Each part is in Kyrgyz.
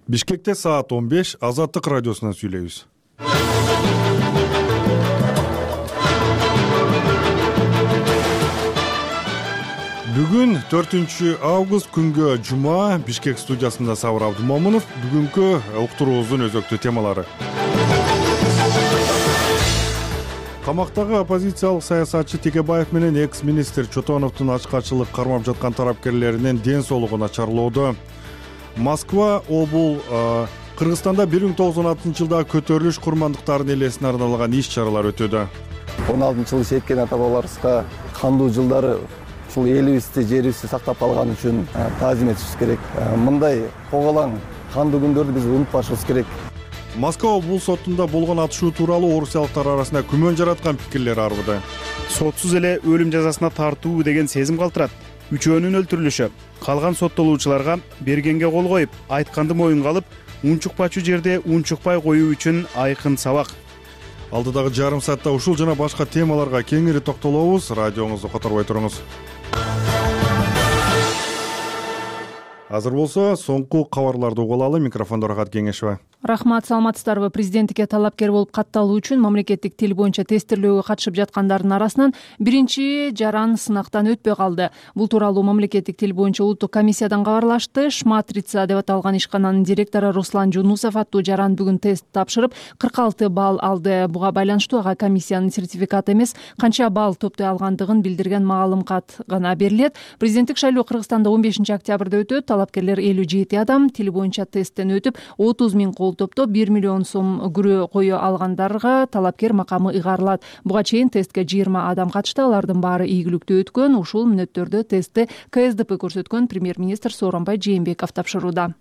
Бишкекте саат 15 Азаттык радиосунан сүйлөйбүз. Бүгүн 4 август күнгө жума. Бишкек студиясында Сабыр Абдумомунов. Бүгүнкү уктуруубуздун өзөктүү темалары. Камактагы оппозициялык саясатчы Текебаев менен экс-министр Чотоновдун ачкачылык кармап жаткан тарапкерлеринин ден соолугу начарлоодо. Москва обул Кыргызстанда 1916-жылдагы көтөрүлүш курмандыктарынын элесине арналган иш-чаралар өтүүдө. 16-жылы шеткен ата-бабаларыбызга кандуу жылдары ушул элибизди, жерибизди сактап калган үчүн таазим этишибиз керек. Мындай коголаң кандуу күндөрдү биз унутпашыбыз керек. Москва обул сотунда болгон атышуу тууралуу орусиялыктар арасында күмөн жараткан пикирлер арбыды. Сотсуз эле өлүм жазасына тартуу деген сезим калтырат. Үчөөнүн өлтүрүлүшү, калган соттолуучуларга бергенге кол коюп, айтканды моюнга алып, унчукпачу жерде унчукпай коюу үчүн айкын сабак. Алдыдагы жарым саатта ушул жана башка темаларга кеңири токтолобуз. Радионузду которбой туруңуз. Азыр болсо соңку кабарларды угуп алалы. Микрофондо Рахат Кеңешева. Рахмат, саламатсыздарбы? Президенттикке талапкер болуп катталуу үчүн мамлекеттик тил боюнча тестирлөөгө катышып жаткандардын арасынан биринчи жаран сынактан өтпөй калды. Бул тууралуу мамлекеттик тил боюнча улуттук комиссиядан кабарлашты. Шматрица деп аталган ишкананын директору Руслан Жунусов аттуу жаран бүгүн тест тапшырып 46 балл алды. Буга байланыштуу ага комиссиянын сертификаты эмес, канча балл топтой алгандыгын билдирген маалым кат гана берилет. Президенттик шайлоо Кыргызстанда 15 октябрда өтөт. Талапкерлер 57 адам тил боюнча тесттен өтүп 30 000 кол топтоп 1 миллион сом күрөө кое алгандарга талапкер макамы ыйгарылат. Буга чейин тестке 20 адам катышты. Алардын баары ийгиликтүү өткөн. Ушул мүнөттөрдө тестти КСДП көрсөткөн премьер-министр Сооронбай Жээнбеков тапшырууда.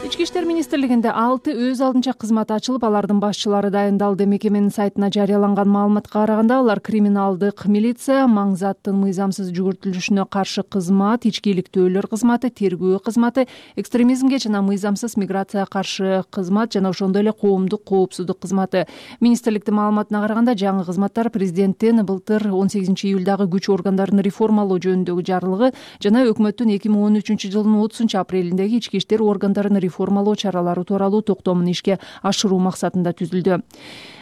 Ички иштер министрлигинде 6 өз алдынча кызмат ачылып, алардын башчылары дайындалды. Мекеменин сайтына жарыяланган маалыматка караганда, алар криминалдык милиция, маң заттын мыйзамсыз жүгүртүлүшүнө каршы кызмат, ички иликтөөлөр кызматы, тергөө кызматы, экстремизмге жана мыйзамсыз миграцияга каршы кызмат жана ошондой эле коомдук коопсуздук кызматы. Министрликтин маалыматына караганда, жаңы кызматтар президенттин былтыр 18 июлдагы күч органдарын реформалоо жөнүндөгү жарлыгы жана өкмөттүн 2013 жылдын 30 апрелиндеги ички иштер органдарын реформалоо чаралары тууралуу токтомун ишке ашыруу максатында түзүлдү.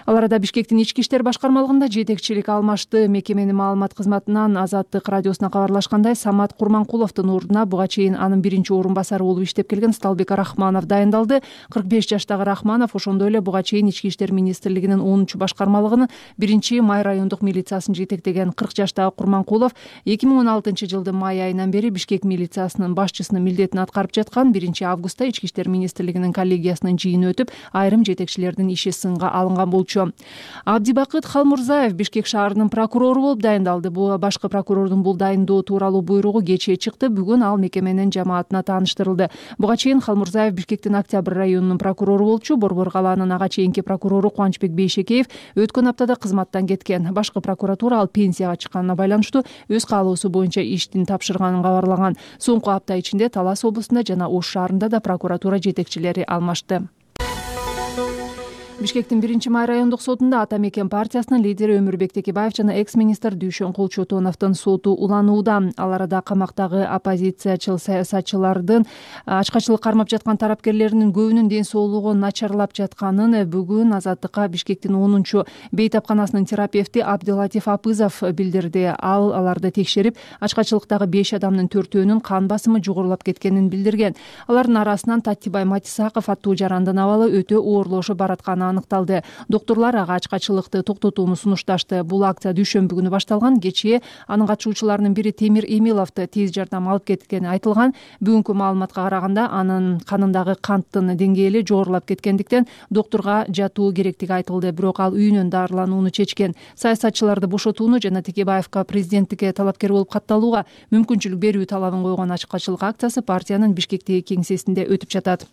Ал арада Бишкектин ички иштер башкармалыгында жетекчилик алмашты. Мекеменин маалымат кызматынан Азаттык радиосуна кабарлашкандай, Самат Курманкуловдун ордуна буга чейин анын биринчи орун басары болуп иштеп келген Сталбек Рахманов дайындалды. 45 жаштагы Рахманов ошондой эле буга чейин ички иштер министрлигинин 10 башкармалыгынын 1-май райондук милициясын жетектеген. 40 жаштагы Курманкулов 2016 жылдын май айынан бери Бишкек милициясынын башчысынын милдетин аткарып жаткан. 1-августта ички иштер министрлигинин коллегиясынын жыйыны өтүп, айрым жетекчилердин иши сынга алынган болчу. Абдибакыт Халмурзаев Бишкек шаарынын прокурору болуп дайындалды. Башкы прокурордун бул дайындоо тууралуу буйругу кечээ чыкты. Бүгүн ал мекеменин жамаатына тааныштырылды. Буга чейин Халмурзаев Бишкектин Октябрь районунун прокурору болчу. Борбор калаанын ага чейинки прокурору Кубанычбек Бейшекеев өткөн аптада кызматтан кеткен. Башкы прокуратура ал пенсияга чыкканына байланыштуу өз каалоосу боюнча иштин тапшырганын кабарлаган. Соңку апта ичинде Талас облусунда жана Ош шаарында да прокуратура жетекчилери алмашты. Бишкектин 1-май райондук сотунда Ата Мекен партиясынын лидери Өмүрбек Текебаев жана экс-министр Дүйшөнкул Чотоновдун соту уланууда. Ал арада камактагы оппозициячыл саясатчылардын ачкачылык кармап жаткан тарапкерлеринин көбүнүн ден соолугу начарлап жатканын бүгүн Азаттыкка Бишкектин 10 бейтапканасынын терапевти Абдылатиф Апызов билдирди. Ал аларды текшерип, ачкачылыктагы 5 адамдын 4-өөнүн кан басымы жогорулап кеткенин билдирген. Алардын арасынан Таттибай Матисаков аттуу жарандын абалы өтө оорлошуп баратканы аныкталды. Докторлор ага ачкачылыкты токтотууну сунушташты. Бул акция дүйшөмбү күнү башталган. Кечээ анын катышуучуларынын бири Темир Эмиловду тез жардам алып кеткени айтылган. Бүгүнкү маалыматка караганда анын канындагы канттын деңгээли жогорулап кеткендиктен докторго жатуу керектиги айтылды. Бирок ал үйүнөн дарыланууну чечкен. Саясатчыларды бошотууну жана Текебаевка президенттикке талапкер болуп катталууга мүмкүнчүлүк берүү талабын койгон ачкачылык акциясы партиянын Бишкектеги кеңсесинде өтүп жатат.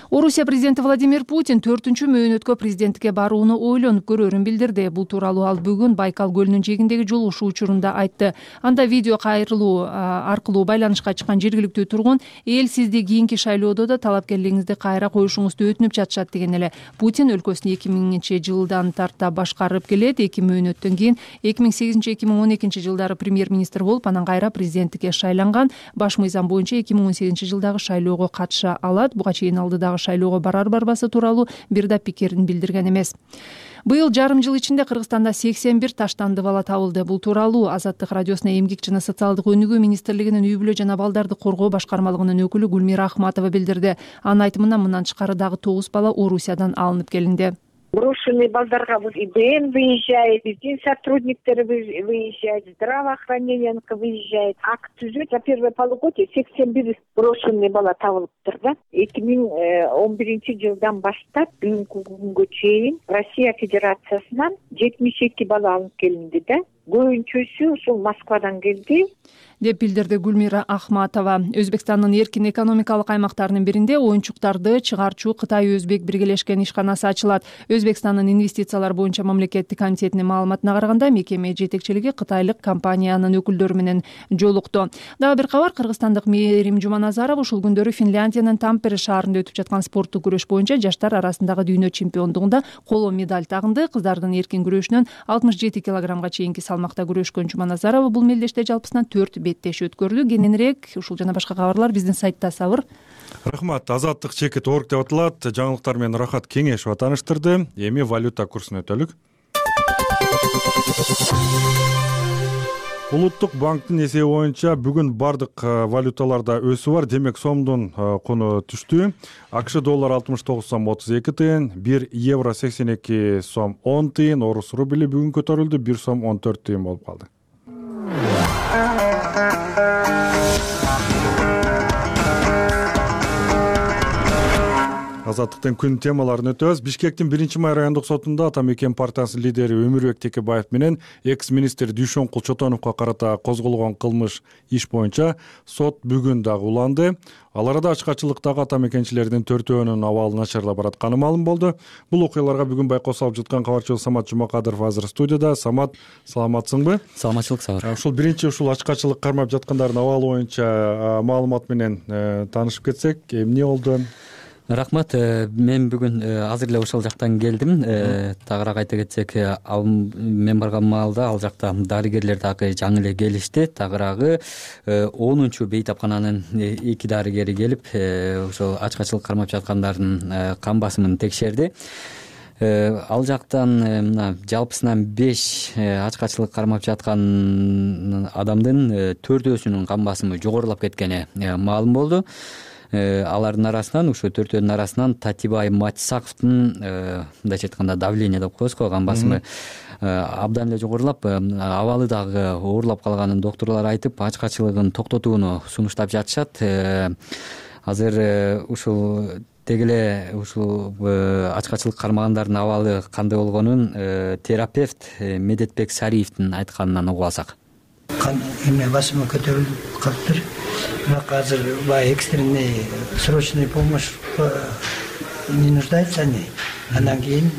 Орусия президенти Владимир Путин 4-мөөнөткө президенттикке барууну ойлонуп көрөрүн билдирди. Бул тууралуу ал бүгүн Байкал көлүнүн жээгиндеги жолугушуу учурунда айтты. Анда видео кайрылуу аркылуу байланышка чыккан жергиликтүү тургун эл сизди кийинки шайлоодо да талапкерлигиңизди кайра коюшуңузду өтүнүп жатышат деген эле. Путин өлкөсүн 2000-жылдан тарта башкарып келет. 2 мөөнөттөн кийин 2008-2012 жылдары премьер-министр болуп, анан кайра президенттикке шайланган. Баш мыйзам боюнча 2018-жылдагы шайлоого катыша алат. Буга чейин алдыдагы шайлоого барар-барбасы тууралуу бир да пикирин билдирген эмес. Быйыл жарым жыл ичинде Кыргызстанда 81 таштанды бала табылды. Бул тууралуу Азаттык радиосуна Эмгек жана социалдык өнүгүү министрлигинин үй-бүлө жана балдарды коргоо башкармалыгынын өкүлү Гүлмира Ахматова билдирди. Анын айтымында мындан тышкары дагы 9 бала Орусиядан алынып келинди. Брошенный балдарга ИБН выезжает, дин сотрудниктери выезжает, здравоохранение выезжает. Акт түзөт за первое полугодие 81 брошенный бала табылыптыр да. 2011-жылдан баштап бүгүнкү күнгө чейин Россия Федерациясынан 72 бала алынып келинди да. Көбүнчөсү ушул Москвадан келди деп билдирди Гүлмира Ахматова. Өзбекстандын эркин экономикалык аймактарынын биринде оюнчуктарды чыгарчу Кытай-Өзбек биргелешкен ишканасы ачылат. Өзбекстандын инвестициялар боюнча мамлекеттик комитетинин маалыматына караганда, мекеме жетекчилиги кытайлык компаниянын өкүлдөрү менен жолукту. Дагы бир кабар, кыргызстандык Мээрим Жуманазарова ушул күндөрү Финляндиянын Тампере шаарында өтүп жаткан спорттук күрөш боюнча жаштар арасындагы дүйнө чемпиондугунда коло медаль тагынды. Кыздардын эркин күрөшүнөн 67 килограммга чейинки салмакта күрөшкөн Жуманазарова бул мелдеште жалпысынан 4 беттеш өткөрдү. Кененирээк ушул жана башка кабарлар биздин сайтта Сабыр. Рахмат. Азаттык чекит орг деп аталат. Жаңылыктар менен Рахат Кеңешова тааныштырды. Эми валюта курсун өтөлүк. Улуттук банктын эсеби боюнча бүгүн бардык валюталарда өсүү бар. Демек сомдун куну түштү. АКШ доллар 69 сом 32 тыйын, 1 евро 82 сом 10 тыйын, орус рубли бүгүн көтөрүлдү, 1 сом 14 тыйын болуп калды. Азаттыктын күн темаларын өтөбүз. Бишкектин 1-май райондук сотунда Ата Мекен партиясынын лидери Өмүрбек Текебаев менен экс-министр Дүйшөн Кулчотоновго карата козголгон кылмыш иш боюнча сот бүгүн дагы уланды. Ал арада ачкачылыктагы ата мекенчилердин 4-өөнүн абалы начарлап баратканы маалым болду. Бул окуяларга бүгүн байкоо салып жаткан кабарчыбыз Самат Жумакадыров азыр студияда. Самат, саламатсыңбы? Саламатчылык, Сабыр. Ушул биринчи ачкачылык кармап жаткандардын абалы боюнча маалымат менен таанышып кетсек, эмне болду? Рахмат. Мен бүгүн азыр эле ошол жактан келдим. Тагыраак айта кетсек, мен барган маалда ал жакта дарыгерлер дагы жаңы эле келишти. Тагыраагы 10-чу бейтапкананын 2 дарыгери келип, ошол ачкачылык кармап жаткандардын кан басымын текшерди. Ал жактан мына жалпысынан 5 ачкачылык кармап жаткан адамдын 4-өсүнүн кан басымы жогорулап кеткени маалым болду. Алардын арасынан, ушу 4-өөнүн арасынан Татибай Матисаковдун мындайча айтканда давление деп коебуз го, кан басымы абдан эле жогорулап, абалы дагы оорлап калганын докторлор айтып, ачкачылыгын токтотууну сунуштап жатышат. Азыр ушул дегеле ушул ачкачылык кармагандардын абалы кандай болгонун терапевт Медетбек Сариевдин айтканынан угуп алсак. Кан басымы көтөрүлүп калыптыр. Бирок азыр баягы экстренный срочный помощь не нуждается они. Андан кийин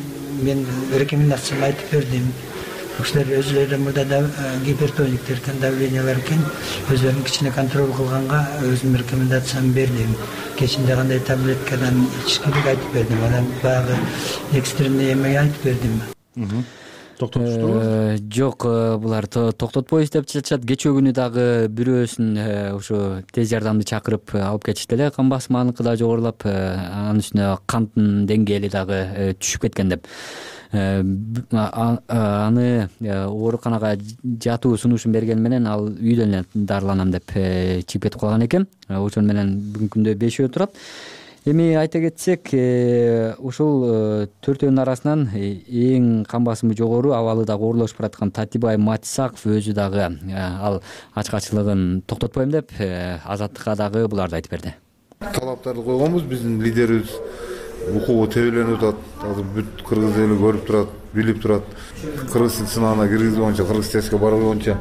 мен рекомендацияны айтып бердим. Ошолор өзүлөрү мурда гипертониктер давлениялар экен, өзүлөрүн кичине контроль кылганга өзүм рекомендацияны бердим. Кечинде кандай таблеткадан ичиш керек айтып бердим. Анан баягы экстренный эме айтып бердим. Токтотуштурбу? Жок, булар токтотпойбуз деп жатышат. Кечээ күнү дагы бирөөсүн ушу тез жардамды чакырып алып кетишти эле. Кан басымы аныкы да жогорулап, анын үстүнө канттын деңгээли дагы түшүп кеткен деп. Аны ооруканага жатуу сунушун бергени менен ал үйдөн эле дарыланам деп чыгып кетип калган экен. Ошон менен бүгүнкү күндө 5 турат. Эми айта кетсек, ушул 4-өөнүн арасынан эң кан басымы жогору, абалы дагы оорлошуп бараткан Татибай Матисаков өзү дагы ал ачкачылыгын токтотпойм деп Азаттыкка дагы буларды айтып берди. Талаптарды койгонбуз, биздин лидерибиз укугу тебеленип атат. Азыр бүт кыргыз эли көрүп турат, билип турат. Кыргыз сынагына киргизүү боюнча, кыргыз тестке баруу боюнча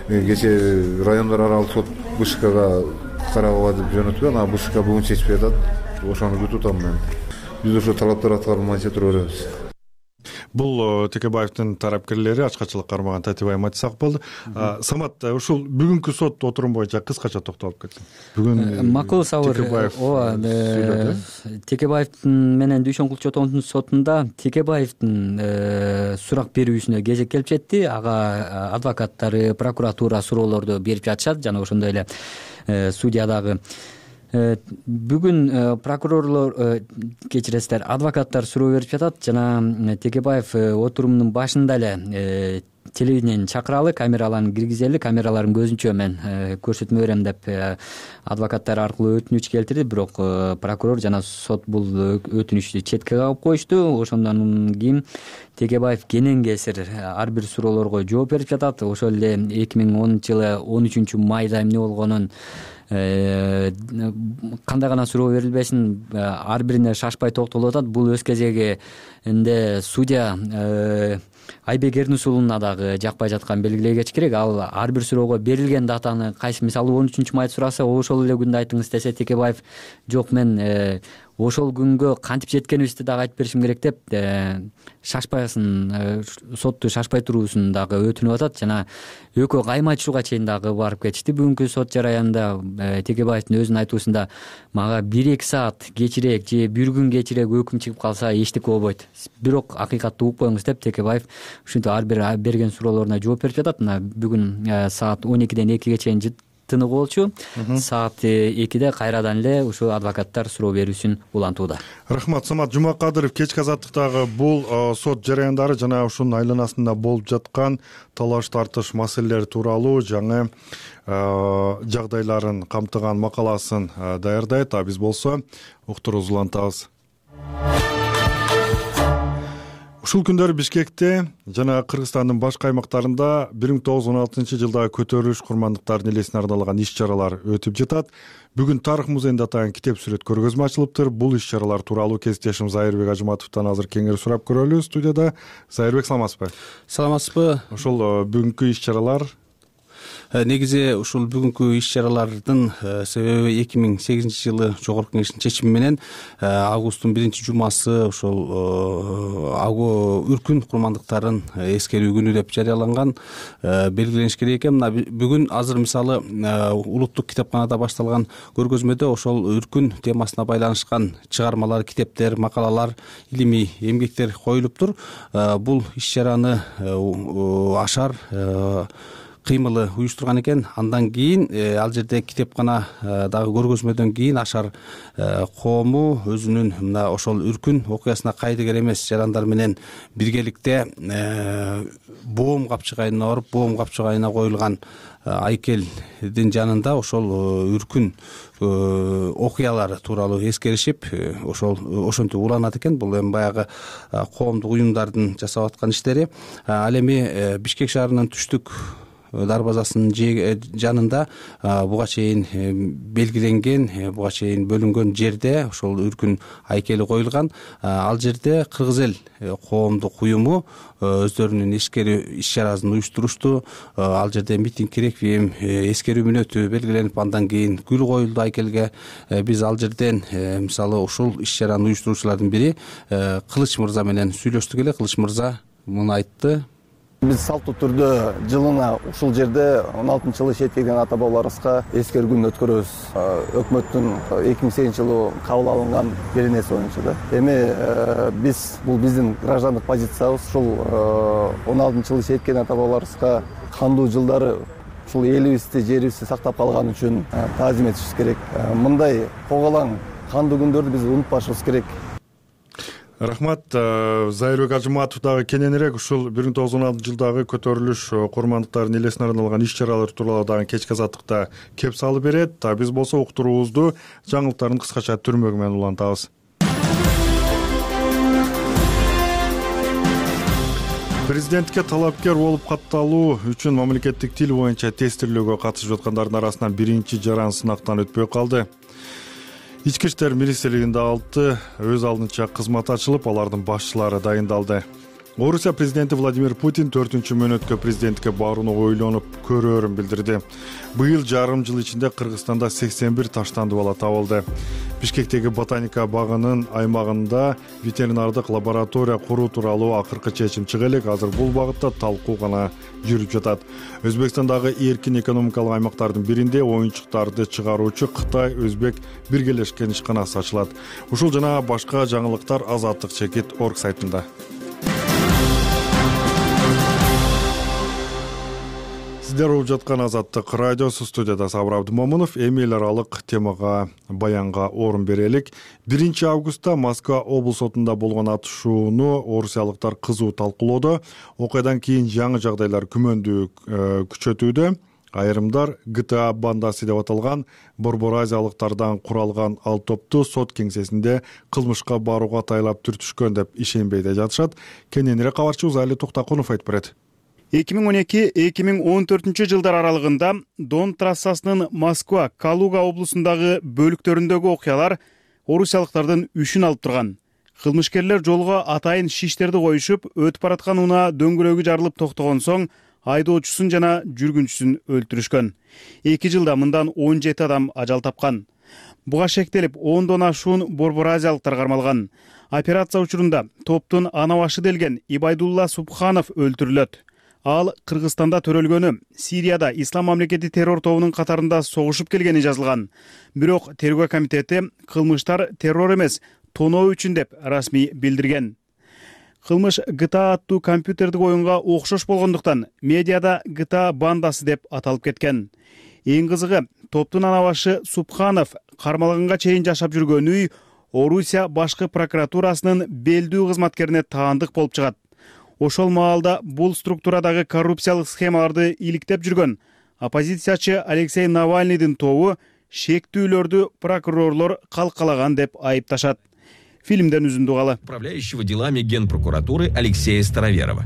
кечээ райондор аралык сот БШКга карабага деп жөнөтүп, анан БШК бүгүн чечип жатат. ошону күтүп атам мен. Биз ошо талаптар аткарылмайынча тура беребиз. Бул Текебаевдин тарапкерлери ачкачылык кармаган Татибай Матисак болду. Самат, ушул бүгүнкү сот отурум боюнча кыскача токтолуп кетсең. Бүгүн макул Сабыр, ооба, Текебаевдин менен Дүйшөн Кулчотоновдун сотунда Текебаевдин сурак берүүсүнө кезек келип жетти. Ага адвокаттары, прокуратура суроолорду берип жатышат жана ошондой эле судья дагы. Бүгүн прокурорлор, кечиресиздер, адвокаттар суроо берип жатат жана Текебаев отурумдун башында эле телевидениени чакыралы, камераларын киргизели, камераларын көзүнчө мен көрсөтмө берем деп адвокаттар аркылуу өтүнүч келтирди, бирок прокурор жана сот бул өтүнүчтү четке кагып коюшту. Ошондон кийин Текебаев кенен кесир ар бир суроолорго жооп берип жатат. Ошол эле 2010-жылы 13 майда эмне болгонун, кандай гана суроо берилбесин, ар бирине шашпай токтолуп атат. Бул өз кезегинде судья Айбек Эрнусулуна дагы жакпай жаткан белгилей кетиш керек. Ал ар бир суроого берилген датаны кайсы, мисалы 13 майда сураса, ошол эле күндү айтыңыз десе, Текебаев жок, мен ошол күнгө кантип жеткенибизди дагы айтып беришим керек деп шашпасын, сотту шашпай туруусун дагы өтүнүп атат жана экөө кайма айтышууга чейин дагы барып кетишти. Бүгүнкү сот жараянында Текебаевдин өзүнүн айтуусунда мага 1-2 саат кечирээк же бир күн кечирээк өкүм чыгып калса эчтеке болбойт, бирок акыйкатты угуп коюңуз деп Текебаев ушинтип ар бир берген суроолоруна жооп берип жатат. Мына бүгүн саат 12-ден 2-ге чейин тыныгы болчу. Саат 2-де кайрадан эле ушу адвокаттар суроо берүүсүн улантууда. Рахмат. Самат Жумакадыров, кечки азаттыктагы бул сот жараяндары жана ушунун айланасында болуп жаткан талаш тартыш маселелери тууралуу жаңы жагдайларын камтыган макаласын даярдайт. А биз болсо уктуруубузду улантабыз. Ушул күндөрү Бишкекте жана Кыргызстандын башка аймактарында 1916-жылдагы көтөрүлүш курмандыктарынын элесине арналган иш-чаралар өтүп жатат. Бүгүн Тарых музейинде атайын китеп сүрөт көргөзмө ачылыптыр. Бул иш-чаралар тууралуу кесиптешим Зайырбек Ажыматовдон азыр кеңири сурап көрөлү. Студияда Зайырбек, саламатсызбы? Саламатсызбы. Ошол бүгүнкү иш-чаралар негизи ушул бүгүнкү иш-чаралардын себеби 2008-жылы Жогорку Кеңештин чечими менен августтун 1-жумасы ошол үркүн курмандыктарын эскерүү күнү деп жарыяланган, белгилениш керек экен. Мына бүгүн азыр мисалы улуттук китепканада башталган көргөзмөдө ошол үркүн темасына байланышкан чыгармалар, китептер, макалалар, илимий эмгектер коюлуптур. Бул иш-чараны Ашар кыймылы уюштурган экен. Андан кийин ал жерде китепкана дагы көргөзмөдөн кийин Ашар коому өзүнүн мына ошол үркүн окуясына кайдыгер эмес жарандар менен биргеликте боом капчыгайына барып, боом капчыгайына коюлган айкелдин жанында ошол үркүн окуялары тууралуу эскеришип, ошентип уланат экен. Бул эми баягы коомдук уюмдардын жасап аткан иштери. Ал эми Бишкек шаарынын түштүк дарбазасынын жанында буга чейин белгиленген, буга чейин бөлүнгөн жерде ошол үркүн айкели коюлган. Ал жерде Кыргыз эл коомдук уюму өздөрүнүн эскерүү иш-чарасын уюштурушту. Ал жерде митинг, реквием, эскерүү мүнөтү белгиленип, андан кийин гүл коюлду айкелге. Биз ал жерден мисалы ушул иш-чараны уюштуруучулардын бири Кылыч мырза менен сүйлөштүк эле. Кылыч мырза муну айтты. Биз салттуу түрдө жылына ушул жерде 16-жылы шеткейден ата бабаларыбызга эскерүү күнүн өткөрөбүз. Өкмөттүн 2008-жылы кабыл алынган бир нерсе боюнча да. Эми биз бул биздин граждандык позициябыз. Ушул 16-жылы шеткейден ата бабаларыбызга кандуу жылдары ушул элибизди, жерибизди сактап калган үчүн таазим этишибиз керек. Мындай коголаң кандуу күндөрдү биз унутпашыбыз керек. Рахмат. Зайырбек Ажыматов дагы кененирээк ушул 1916-жылдагы көтөрүлүш курмандыктарынын элесине арналган иш-чаралар тууралуу дагы кечки азаттыкта кеп салып берет. Биз болсо уктуруубузду жаңылыктардын кыскача түрмөгү менен улантабыз. Президентке талапкер болуп катталуу үчүн мамлекеттик тил боюнча тестирлөөгө катышып жаткандардын арасынан биринчи жаран сынактан өтпөй калды. Ички иштер министрлигинде 6 өз алдынча кызмат ачылып, алардын башчылары дайындалды. Орусия президенти Владимир Путин 4-мөөнөткө президенттикке барууну ойлонуп көрөөрүн билдирди. Быйыл жарым жыл ичинде Кыргызстанда 81 таштандуу бала табылды. Бишкектеги ботаника багынын аймагында ветеринардык лаборатория куруу тууралуу акыркы чечим чыга элек. Азыр бул багытта талкуу гана жүрүп жатат. Өзбекстандагы эркин экономикалык аймактардын биринде оюнчуктарды чыгаруучу Кытай Өзбек биргелешкен ишканасы ачылат. Ушул жана башка жаңылыктар Азаттык чекит орг сайтында. Сиздер угуп жаткан Азаттык радиосу, студияда Сабыр Абдымомунов. Эми эл аралык темага, баянга орун берелик. 1-августта Москва облус сотунда болгон атышууну орусиялыктар кызуу талкуулоодо. Окуядан кийин жаңы жагдайлар күмөндүү күчөтүүдө. Айрымдар GTA бандасы деп аталган борбор-азиялыктардан куралган ал топту сот кеңсесинде кылмышка барууга тайлап түртүшкөн деп ишенбей да жатышат. Кененирээк кабарчыбыз Али Токтакунов айтып берет. 2012-2014 жылдар аралыгында Дон трассасынын Москва, Калуга облусундагы бөлүктөрүндөгү окуялар орусиялыктардын үшүн алып турган. Кылмышкерлер жолго атайын шиштерди коюшуп, өтүп бараткан унаа дөңгөлөгү жарылып токтогон соң айдоочусун жана жүргүнчүсүн өлтүрүшкөн. 2 жылда мындан 17 адам ажал тапкан. Буга шектелип, 10дон ашуун борбор-азиялыктар кармалган. Операция учурунда топтун ана башы делген Ибайдулла Субханов өлтүрүлөт. Ал Кыргызстанда төрөлгөнү, Сирияда Ислам мамлекети террор тобунун катарында согушуп келгени жазылган. Бирок тергөө комитети кылмыштар террор эмес, тоноо үчүн деп расмий билдирген. Кылмыш GTA аттуу компьютердик оюнга окшош болгондуктан медиада GTA бандасы деп аталып кеткен. Эң кызыгы, топтун ана башы Субханов кармалганга чейин жашап жүргөн үй Орусия башкы прокуратурасынын белдүү кызматкерине таандык болуп чыгат. Ошол маалда бул структурадагы коррупциялык схемаларды иликтеп жүргөн оппозициячы Алексей Навальныйдын тобу шектүүлөрдү прокурорлор калкалаган деп айыпташат. Фильмден үзүндү калы. Управляющего делами Генпрокуратуры Алексея Староверова.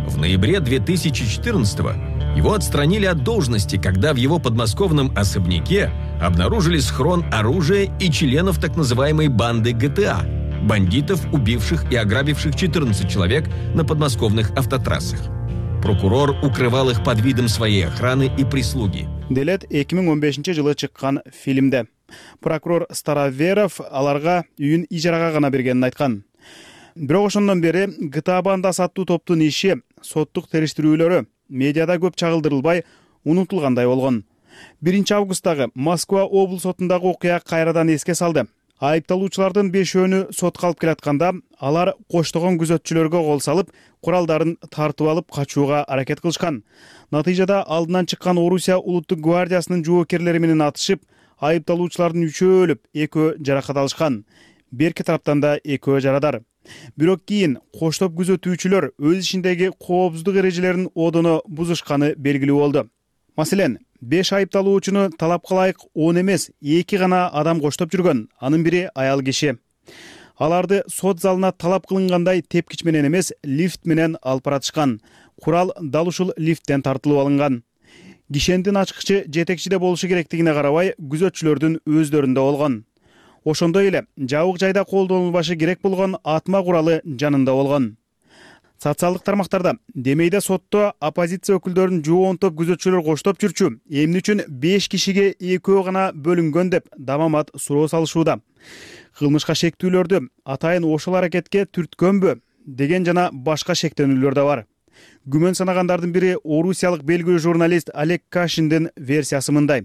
В ноябре 2014-го его отстранили от должности, когда в его подмосковном особняке обнаружили схрон оружия и членов так называемой банды GTA. Бандитов, убивших и ограбивших 14 человек на подмосковных автотрассах. Прокурор укрывал их под видом своей охраны и прислуги. Делет 2015-жылы чыккан фильмде. Прокурор Староверов аларга үйүн ижарага гана бергенин айткан. Бирок ошондон бери GTA бандасы аттуу топтун иши, соттук териштирүүлөрү медиада көп чагылдырылбай, унутулгандай болгон. 1-августтагы Москва облус сотундагы окуя кайрадан эске салды. Айыпталуучулардын 5-өөнү сотко алып келатканда, алар коштогон күзөтчүлөргө кол салып, куралдарын тартып алып качууга аракет кылышкан. Натыйжада алдынан чыккан Орусия улуттук гвардиясынын жоокерлери менен атышып, айыпталуучулардын 3-өө өлүп, 2-өө жаракат алышкан. Берки тараптан да 2-өө жарадар. Бирок кийин коштоп күзөтүүчүлөр өз ишиндеги коопсуздук эрежелерин одоно бузушканы белгилүү болду. Маселен, 5 айыпталуучуну талапка ылайык 10 эмес, 2 гана адам коштоп жүргөн, анын бири аял киши. Аларды сот залына талап кылынгандай тепкич менен эмес, лифт менен алып баратышкан. Курал дал ушул лифттен тартылып алынган. Кишендин ачкычы жетекчиде болушу керектигине карабай, күзөтчүлөрдүн өздөрүндө болгон. Ошондой эле жабык жайда колдонулбашы керек болгон атма куралы жанында болгон. Социалдык тармактарда демейде сотто оппозиция өкүлдөрүн жуонтоп күзөтчүлөр коштоп жүрчү, эмне үчүн 5 кишиге 2 гана бөлүнгөн деп дамамат суроо салышууда. Кылмышка шектүүлөрдү атайын ошол аракетке түрткөнбү деген жана башка шектенүүлөр да бар. Күмөн санагандардын бири орусиялык белгилүү журналист Олег Кашиндин версиясы мындай.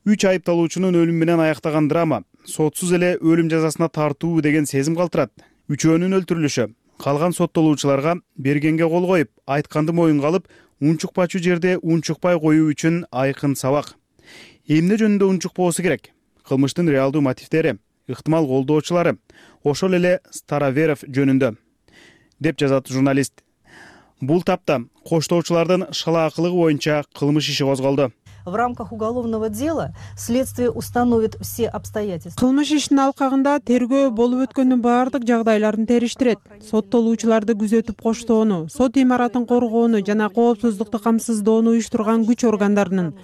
3 айыпталуучунун өлүмү менен аяктаган драма сотсуз эле өлүм жазасына тартуу деген сезим калтырат. 3-өөнүн өлтүрүлүшү калган соттолуучуларга бергенге кол коюп, айтканды моюнга алып, унчукпачу жерде унчукпай коюу үчүн айкын сабак. Эмне жөнүндө унчукпоосу керек? Кылмыштын реалдуу мотивдери, ыктымал колдоочулары, ошол эле Староверов жөнүндө, деп жазат журналист. Бул тапта коштоочулардын шала акылыгы боюнча кылмыш иши козголду. в рамках уголовного дела следствие установит все обстоятельства. Кылмыш ишинин алкагында тергөө болуп өткөндүн баардык жагдайларын териштирет. Соттолуучуларды күзөтүп коштоону, сот имаратын коргоону жана коопсуздукту камсыздоону уюштурган күч органдарынын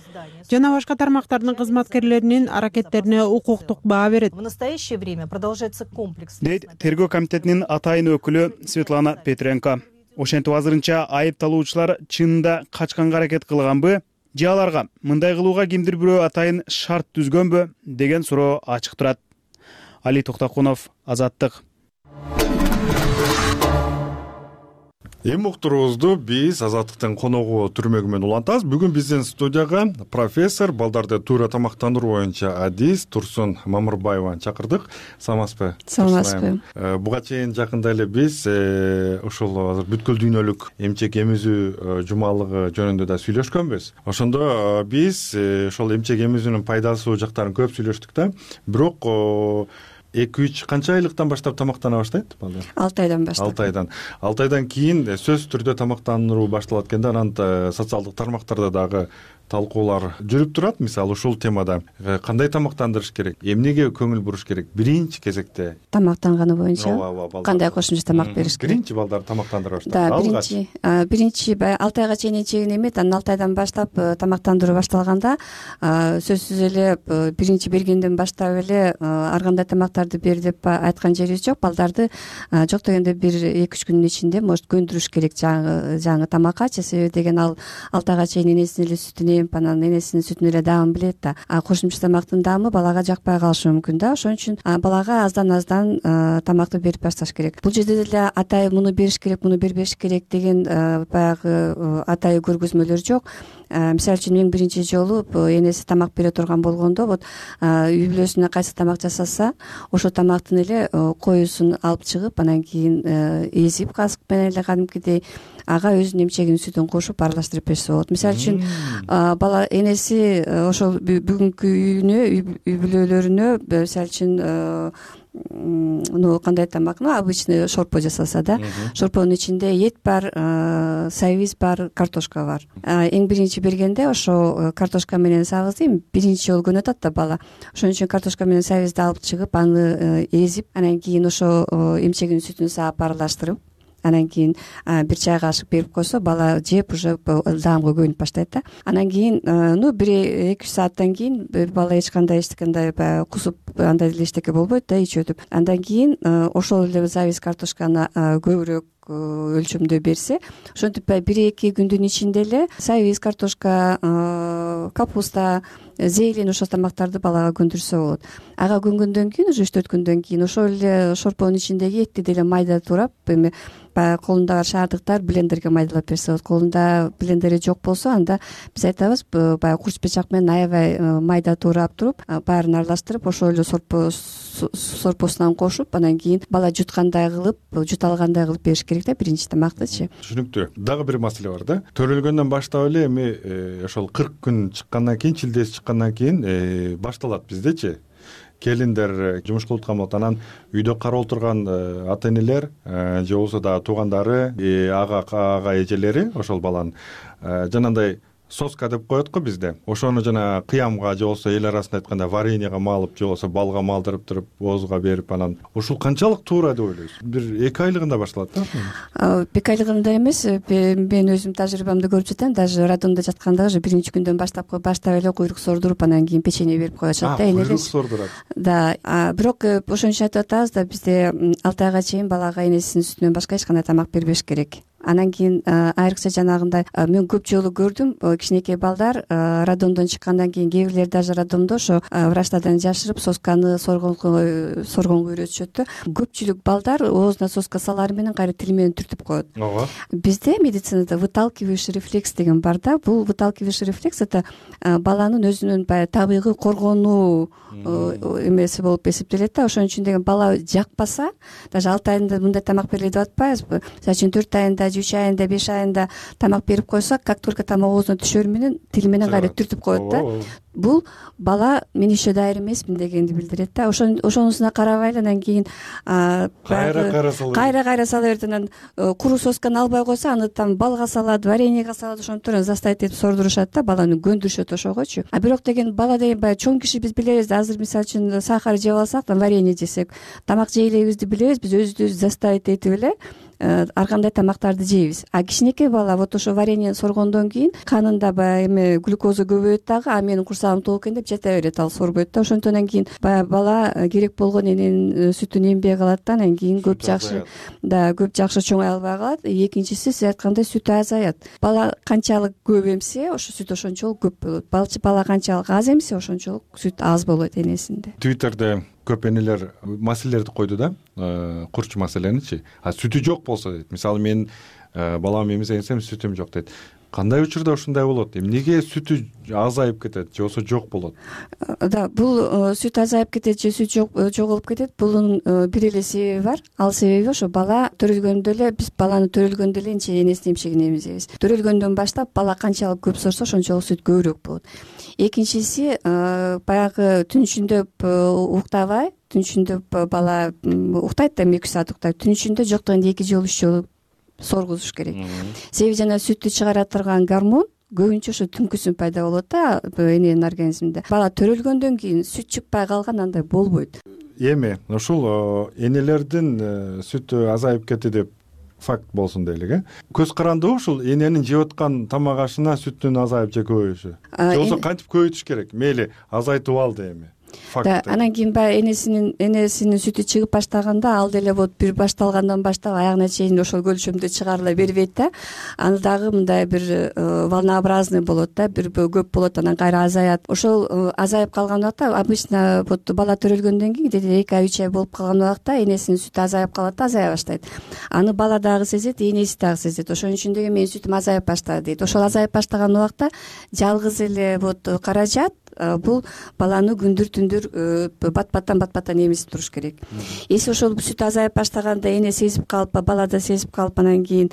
жана башка тармактардын кызматкерлеринин аракеттерине укуктук баа берет. В настоящее время продолжается комплекс. Дейт тергөө комитетинин атайын өкүлү Светлана Петренко. Ошентип азырынча айыпталуучулар чынында качканга аракет кылганбы же аларга мындай кылууга кимдир бирөө атайын шарт түзгөнбү деген суроо ачык турат. Али Токтокунов, Азаттык. Эми уктуруубузду биз Азаттыктын коногу Түрмөгү менен улантабыз. Бүгүн биздин студияга профессор, балдарды туура тамактандыруу боюнча адис Турсун Мамырбаеваны чакырдык. Саламатсызбы? Саламатсызбы. Буга чейин жакында эле биз ушул азыр бүткүл дүйнөлүк эмчек эмизүү жумалыгы жөнүндө да сүйлөшкөнбүз. Ошондо биз ошол эмчек эмизүүнүн пайдалуу жактарын көп сүйлөштүк да. Бирок 2-3 канча айлыктан баштап тамактана баштайт балдар? 6 айдан баштап. 6 айдан кийин сөзсүз түрдө тамактандыруу башталат экен да. Анан социалдык тармактарда дагы талкуулар жүрүп турат. Мисалы ушул темада кандай тамактандырыш керек, эмнеге көңүл буруш керек? Биринчи кезекте тамактанганы боюнча кандай кошумча тамак бериш керек? Биринчи балдарды тамактандыра баштайт. Да, биринчи 6 айга чейин чегин эмет, анан 6 айдан баштап тамактандыруу башталганда сөзсүз эле биринчи бергенден баштап эле ар кандай тамактарды бер деп айткан жерибиз жок. Балдарды жок дегенде 1-2 күнүн ичинде может көндүрүш керек жаңы тамаккачы. Себеби деген ал 6 айга чейин энесинин эле сүтүн анан энесинин сүтүнүн эле даамын билет да. Кошумча тамактын даамы балага жакпай калышы мүмкүн да. Ошон үчүн балага аздан тамакты берип башташ керек. Бул жерде деле атай муну бериш керек, муну бербеш керек деген баягы атай көргөзмөлөр жок. Мисалы үчүн мен биринчи жолу энеси тамак бере турган болгондо вот үй бүлөсүнө кайсы тамак жасаса, ошол тамактын эле коюсун алып чыгып, анан кийин эзип касык менен эле кадимкидей ага өзүнүн эмчегинин сүтүн кошуп аралаштырып берсе болот. Мисалы үчүн бала энеси ошол бүгүнкү үйүнө, үй бүлөлөрүнө мисалы үчүн кандай тамак, обычный шорпо жасаса да, шорпонун ичинде эт бар, сабиз бар, картошка бар. Эң биринчи бергенде ошо картошка менен сабызды биринчи жолу көнүп атат да бала. Ошон үчүн картошка менен сабизди алып чыгып, аны эзип, анан кийин ошо эмчегинин сүтүн саап аралаштырып, анан кийин 1 чай кашык берип койсо, бала жеп уже даамга көнүп баштайт да. Анан кийин 1-2 сааттан кийин бала эч кандай эчтекандай баягы кусуп андай эле эчтеке болбойт да ич өтүп. Андан кийин ошол эле сабиз картошканы көбүрөөк өлчөмдө берсе, ошентип 1-2 күндүн ичинде эле сабиз, картошка, капуста, зелень ошол тамактарды балага көндүрсө болот. Ага көнгөндөн кийин уже 3-4 күндөн кийин ошол эле шорпонун ичиндеги этти деле майда турап, эми баягы колунда бар шаардыктар блендерге майдалап берсе болот. Колунда блендери жок болсо, анда биз айтабыз баягы курч бычак менен аябай майда турап туруп, баарын аралаштырып, ошол эле сорпосунан кошуп, анан кийин бала жуткандай кылып, жута алгандай кылып бериш керек да биринчи тамактычы. Түшүнүктүү. Дагы бир маселе бар да. Төрөлгөндөн баштап эле эми ошол 40 күн чыккандан кийин, чилдеси чыккандан кийин башталат биздечи. Келиндер жумуш кылып аткан болот, анан үйдө карап отурган ата энелер же болбосо дагы туугандары, ага эжелери ошол баланын жанагындай соска деп коет го бизде. Ошону жана кыямга же болбосо эл арасында айтканда вареньеге малып же болбосо балга малдырып туруп, оозуга берип, анан ушул канчалык туура деп ойлойсуз? 1-2 айлыгында башталат да? 2 айлыгында эмес, мен өзүм тажрыйбамды көрүп жатам. Даже роддомдо жатканда уже биринчи күндөн баштап эле куйрук сордуруп, анан кийин печенье берип коюшат да энелер. Куйрук сордурат. Да, бирок ошон үчүн айтып атабыз да, бизде 6 айга чейин балага энесинин сүтүнөн башка эч кандай тамак бербеш керек. Анан кийин айрыкча жанагындай мен көп жолу көрдүм, кичинекей балдар роддомдон чыккандан кийин кээ бирлер даже роддомдо ошо врачтардан жашырып сосканы соргонго үйрөтүшөт да. Көпчүлүк балдар оозуна соска салары менен кайра тили менен түртүп коет. Ооба. Бизде медицинада выталкивающий рефлекс деген бар да. Бул выталкивающий рефлекс это баланын өзүнүн баягы табигый коргонуу эмеси болуп эсептелет да. Ошон үчүн деген бала жакпаса, даже 6 айында мындай тамак берилет деп атпайбызбы? Мисалы үчүн 4 айында же 3 айында 5 айында тамак берип койсо, как только тамак оозуна түшөр менен тили менен кайра түртүп коет да. Бул бала мен еще даяр эмесмин дегенди билдирет да. Ошонусуна карабай эле анан кийин кайра сала берет. Анан куру сосканы албай койсо, аны там балга салат, вареньеге салат, ошентип заставить этип сордурушат да, баланы көндүрүшөт ошогочу. А бирок деген бала деген баягы чоң киши биз билебиз да, азыр мисалы үчүн сахар жеп алсак, варенье жесек, тамак жей элебизди билебиз, биз өзүбүздү заставить этип эле ар кандай тамактарды жейбиз. А кичинекей бала вот ошо вареньени соргондон кийин канында баягы эме глюкоза көбөйөт дагы, а менин курсагым толук экен деп жата берет, ал сорбойт да. Ошондон кийин баягы бала керек болгон эненин сүтүн эмбей калат да, анан кийин көп жакшы чоңой албай калат. Экинчиси, сиз айткандай, сүтү азаят. Бала канчалык көп эмсе, ошо сүт ошончолук көп болот. Бала канчалык аз эмсе, ошончолук сүт аз болот энесинде. Твиттерде көп энелер маселелерди койду да, курч маселеничи. А сүтү жок болсо дейт. Мисалы мен балам эмизенсем сүтүм жок дейт. Кандай учурда ушундай болот? Эмнеге сүтү азайып кетет же болбосо жок болот? Да, бул сүт азайып кетет же сүт жоголуп кетет, бунун бир эле себеби бар. Ал себеби ошо бала төрөлгөндө эле, биз баланы төрөлгөндө эле энесинин эмчегин эмизебиз. Төрөлгөндөн баштап бала канчалык көп сорсо, ошончолук сүт көбүрөөк болот. Экинчиси, баягы түн ичинде уктабай, түн ичинде бала уктайт да, 2 саат уктайт. Түн ичинде жок дегенде 2 жолу 3 жолу соргузуш керек. Себеби жана сүттү чыгара турган гормон көбүнчө ошо түнкүсүн пайда болот да эненин организминде. Бала төрөлгөндөн кийин сүт чыкпай калган андай болбойт. Эми ушул энелердин сүтү азайып кетти деп факт болсун дейлик, көз карандыбы ушул эненин жеп аткан тамак ашына сүттүн азайып же көбөйүшү? Же болбосо кантип көбөйтүш керек? Мейли азайтып алды эми. Анан кийин баягы энесинин сүтү чыгып баштаганда, ал деле вот бир башталгандан баштап аягына чейин ошол көлчөмдө чыгарыла бербейт да. Аны дагы мындай бир волнообразный болот да, бир көп болот, анан кайра азаят. Ошол азайып калган убакта обычно вот бала төрөлгөндөн кийин где-то 2 ай 3 ай болуп калган убакта энесинин сүтү азайып калат да, азая баштайт. Аны бала дагы сезет, энеси дагы сезет. Ошон үчүн деген менин сүтүм азайып баштады дейт. Ошол азайып баштаган убакта жалгыз эле вот каражат бул баланы күндүр-түндүр бат-баттан эмизип туруш керек. Эси ошол сүт азайып баштаганда эне сезип калып, бала да сезип калып, анан кийин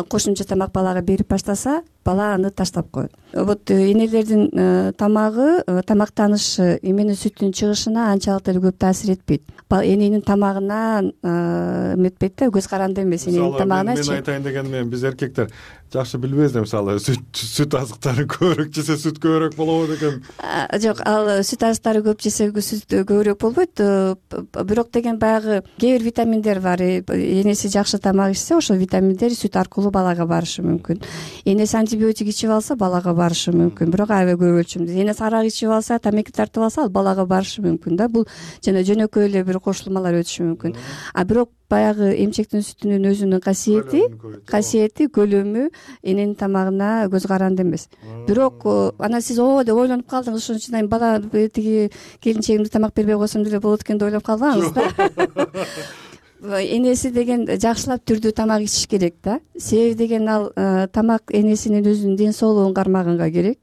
кошумча тамак балага берип баштаса, бала аны таштап коет. Вот энелердин тамагы, тамактанышы эменин сүттүн чыгышына анчалык деле көп таасир этпейт. Эненин тамагына эметпейт да, көз каранды эмес эненин тамагыначы. Мен айтайын дегенмен, биз эркектер жакшы билбейбиз да, мисалы сүт азыктарын көбүрөөк жесе сүт көбүрөөк болобу деген. Жок, ал сүт азыктары көп жесе сүт көбүрөөк болбойт. Бирок деген баягы кээ бир витаминдер бар. Энеси жакшы тамак ичсе, ошол витаминдер сүт аркылуу балага барышы мүмкүн. Энеси антибиотик ичип алса, балага барышы мүмкүн. Бирок аябай көп өлчөмдө. Энеси арак ичип алса, тамеки тартып алса, ал балага барышы мүмкүн да. Бул жана жөнөкөй эле бир кошулмалар өтүшү мүмкүн. А бирок баягы эмчектин сүтүнүн өзүнүн касиети, көлөмү эненин тамагына көз каранды эмес. Бирок анан сиз деп ойлонуп калдыңыз, ошон үчүн бала тиги келинчегимди тамак бербей койсом деле болот экен деп ойлоп калбаңыз да. Энеси деген жакшылап түрдүү тамак ичиш керек да. Себеби деген ал тамак энесинин өзүнүн ден соолугун кармаганга керек.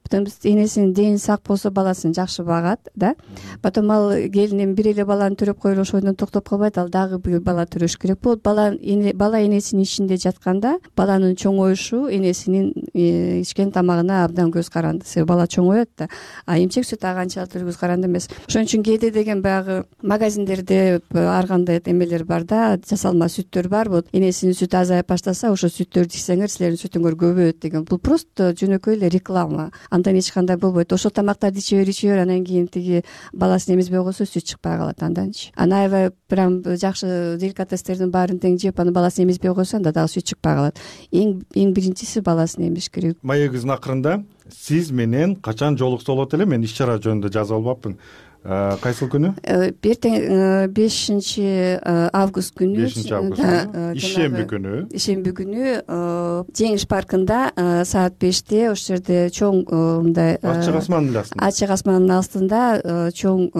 Потом энесинин дени сак болсо, баласын жакшы багат да. Потом ал келин бир эле баланы төрөп коелу ошондон токтоп калбайт, ал дагы бир бала төрөш керек болот. Бала энесинин ичинде жатканда баланын чоңоюшу энесинин ичкен тамагына абдан көз каранды. Себеби бала чоңоет да. А эмчек сүт канчалык көз каранды эмес. Ошон үчүн кээде деген баягы магазиндерде ар кандай эмелер бар да, жасалма сүттөр бар. Вот энесинин сүтү азайып баштаса, ошо сүттөрдү ичсеңер силердин сүтүңөр көбөйөт деген. Бул просто жөнөкөй эле реклама. Андан эч кандай болбойт. Ошол тамактарды иче бер, анан кийин тиги баласын эмизбей койсо сүт чыкпай калат анданчы. Аны аябай прям жакшы деликатестердин баарын тең жеп, аны баласын эмизбей койсо, анда дагы сүт чыкпай калат. Эң биринчиси баласын эмиш керек. Маегибиздин акырында сиз менен качан жолукса болот эле? Мен иш чара жөнүндө жазып албапмын. Кайсыл күнү? Эртең 5 август күнү. 5 август. Ишемби күнү Жеңиш паркында саат 5-те ошол жерде чоң мындай ачык асмандын астында чоң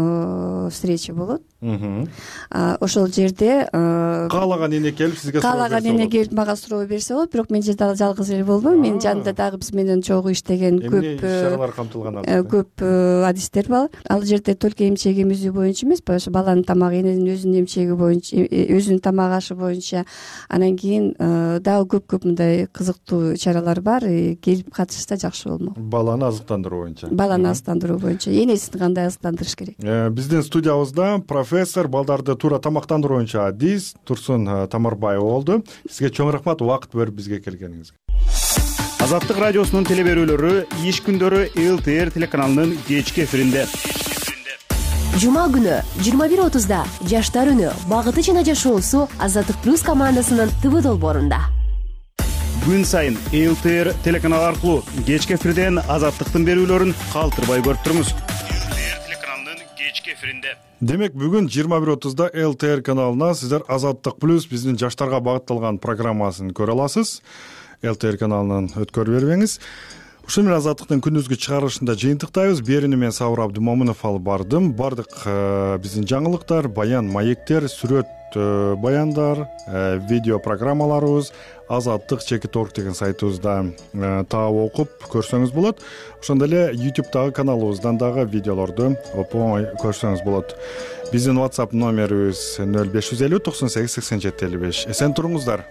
встреча болот. Ошол жерде каалаган эне келип сизге мага суроо берсе болот. Бирок мен жерде жалгыз эле болбойм. Менин жанымда дагы биз менен чогуу иштеген көп чаралар камтылган көп адистер бар. Ал жерде только сырткы эмчек эмизүү боюнча эмеспи, ошо баланын тамагы, эненин өзүнүн эмчеги боюнча, өзүнүн тамак ашы боюнча. Анан кийин дагы көп мындай кызыктуу чаралар бар. Келип катышса жакшы болмок. Баланы азыктандыруу боюнча. Баланы азыктандыруу боюнча. Энесин кандай азыктандырыш керек? Биздин студиябызда профессор, балдарды туура тамактандыруу боюнча адис Турсун Тамарбаева болду. Сизге чоң рахмат убакыт бөлүп бизге келгениңизге. Азаттык радиосунун телеберүүлөрү иш күндөрү ЛТР телеканалынын кечки эфиринде. Жума күнү 21:30 Жаштар үнү багыты жана жашоосу Азаттык плюс командасынын ТВ долбоорунда. Күн сайын ЛТР телеканалы аркылуу кечки эфирден Азаттыктын берүүлөрүн калтырбай көрүп туруңуз. ЛТР телеканалынын кечки эфиринде. Демек бүгүн 21:30 ЛТР каналына сиздер Азаттык плюс биздин жаштарга багытталган программасын көрө аласыз. ЛТР каналынан өткөрүп бербеңиз. Ушул менен Азаттыктын күндүзгү чыгарылышында жыйынтыктайбыз. Берүүнү мен Сабыр Абдымомунов алып бардым. Бардык биздин жаңылыктар, баян маектер, сүрөт баяндар, видео программаларыбыз azattik.org деген сайтыбызда таап окуп көрсөңүз болот. Ошондой эле YouTube'дагы каналыбыздан дагы видеолорду оңой көрсөңүз болот. Биздин WhatsApp номерибиз 0550 98 87 55. Эсен туруңуздар.